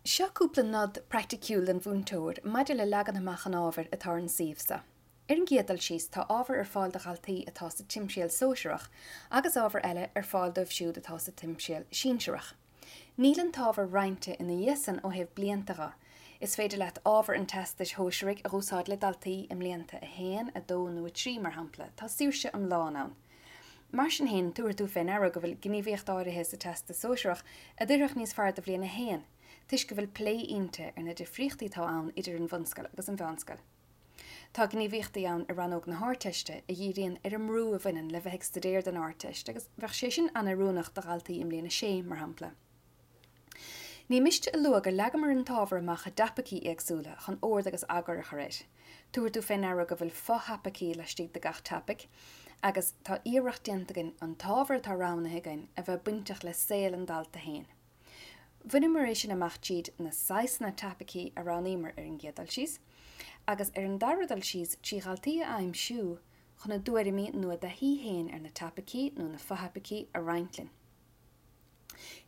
Seo cúpla nod praiticiúil don mhúinteoir maidir le leagan amach an ábhair atá ar an suíomh seo. Ar an gcéad dul síos, tá ábhar ar fáil do dhaltaí atá sa timthriall sóisearach agus ábhar eile ar fáil dóibh siúd atá sa timthriall sinsearach. Níl an t-ábhar roinnte ina dhiaidh san ó thaobh blianta dho. Is féidir leat ábhar an Teastais Shóisearaigh a dh'úsáid le daltaí i mblianta 1, 2 nó 3, mar shampla, tá saoirse iomlán ann. Mar sin féin, tabharfaidh tú fé ndeara go bhfuil gníomhaíocht áirithe sa Teastas Sóisearach a d'oirfeadh níos fearr do bhliain 1, toisc go bhfuil plé inti ar na difríochtaí atá ann idir an bhunscoil agus an mheánscoil. Tá gníomhaíochtaí ann i rannóg na hArdteiste a dhíríonn ar an mbrú a bhaineann le bheith ag staidéar don Ardteist agus bheadh sé sin an-oiriúnach do dhaltaí i mbliain 6, mar shampla. Ní miste a lua gur leagamar an t-ábhar amach i dtopaicí éagsúla chun ord agus eagar a chur air. Tabharfaidh tú fé ndeara go bhfuil fo-thopaicí laistigh de gach topaic agus tá iarracht déanta againn an t-ábhar atá roghnaithe againn a bheith bainteach le saol an dalta féin. Bhaineamar é sin amach tríd na saghsanna topaicí a roghnaíomar ar an gcéad dul síos, agus ar an dara dul síos trí dhaltaí a aimsiú chun a dtuairimí nó a dtaithí féin ar na topaicí nó na fothopaicí a roinnt linn.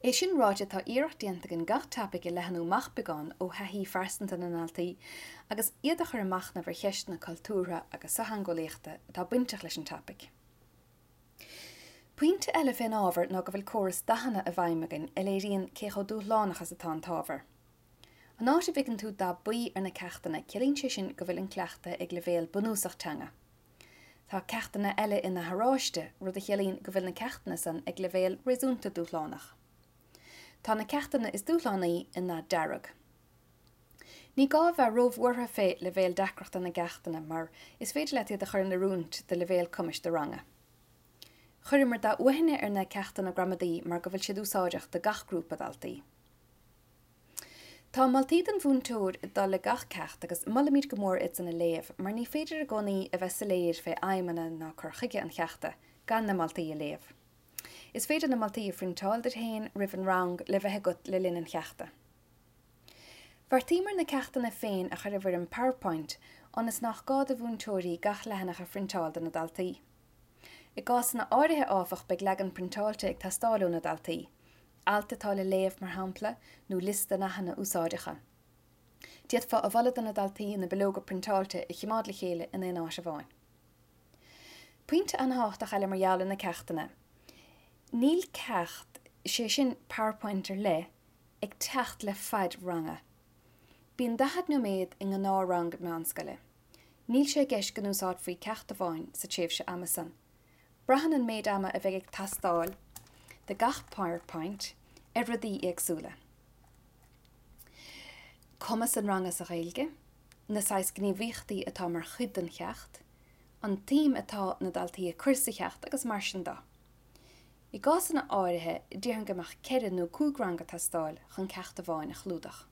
É sin ráite, tá iarracht déanta againn gach topaic a leathnú amach beagán ó thaithí phearsanta na ndaltaí agus iad a chur ag machnamh ar cheisteanna cultúrtha agus sochtheangeolaíochta atá bainteach leis an topaic. Pointe eile fén ábhar ná go bhfuil córas dathanna i bhfeidhm againn a léiríonn cé chomh dúshlánach is atá an t-ábhar. An áit a bhfeiceann tú dath buí ar na ceachtanna ciallaíonn sé sin go bhfuil an cleachtadh ag leibhéal bunúsach teanga. Tá ceachtanna eile i ndath oráiste, rud a chiallaíonn go bhfuil na ceachtanna san ag leibhéal réasúnta dúshlánach. Tá na ceachtanna is dúshlánaí i ndath dearg. Ní gá a bheith róbhuartha fé leibhéal deacrachta na gceachtanna mar is féidir leat iad a chur in oiriúint do leibhéal cumais do ranga. Chuireamar dath uaithne ar na ceachtanna gramadaí mar go bhfuil siad úsáideach do gach grúpa daltaí. Tá moltaí don mhúinteoir ag dul le gach ceacht agus molaimid go mór iad san a léamh mar ní féidir i gcónaí a bheith soiléir fé aidhmeanna ná cur chuige an cheachta gan na moltaí a léamh. Is féidir na moltaí a phriontáil duit féin roimh an rang le bheith agat le linn an cheachta. Bheartaíomar na ceachtanna féin a chur i bhfoirm PowerPoint ionas nach gá do mhúinteoirí gach leathanach a phriontáil do na daltaí. I gcásanna áirithe, áfach, beidh leagan priontáilte ag teastáil ó na daltaí, alt atá le léamh, mar shampla, nó liosta nathanna úsáideacha. D'fhéadfá a mholadh do na daltaí na bileoga priontáilte a choimeád le chéile in aon áit amháin. Pointe an-thábhachtach eile mar gheall ar na ceachtanna, níl ceacht, sé sin PowerPoint ar leith, ag teacht le faid ranga. Bíonn 40 nóiméad i ngnáthrang meánscoile. Níl sé i gceist go n-úsáidfí ceacht amháin sa tréimhse ama san. Braitheann an méid ama a bheidh ag teastáil do gach PowerPoint ar rudaí éagsúla. Cumas an ranga sa Ghaeilge, na saghas gníomhaíochtaí atá mar chuid den cheacht, an tsuim atá na daltaí ag cur sa cheacht agus mar sin de. I gcásanna áirithe, déarfainn go mbeadh 4 nó 5 rang ag teastáil chun ceacht amháin a chlúdach.